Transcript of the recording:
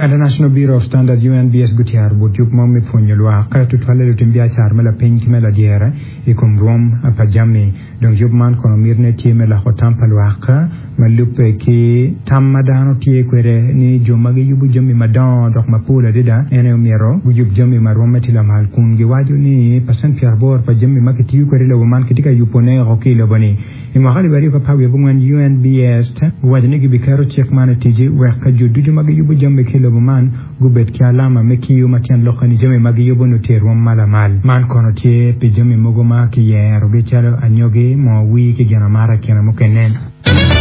International Bureau of Standards, UNBS, gutyero but yub mo me pwonyo lwak, tutwalle lutim biacara me lapiny ki me ladyere, i kom rwom pa jami. Dong yub man kono mitine tye me loko tam pa lwak ma lubbe ki tam ma dano tye kwede ni jo ma giyubo jami madongo dok mapol adada en aye omyero guyub jami ma rwomme tye lamal kun giwaco ni pacent pyeraboro pa jami ma kitiyo kwede i lobo man kitye ka yubone woko ki i lobo-ni. I mwaka 2014, UNBS guwaco ni gibiketo cik man i tic wek jo ducu ma giyubo jami ki i lobo man gubed ki alama me kiyo ma tyen lokke ni jami ma giyubo nongo tye i rwom ma lamal. Man kono tye pi jami mogo ma kiyerogi calo anyogi, moo wir ki gin amata i kine mukene.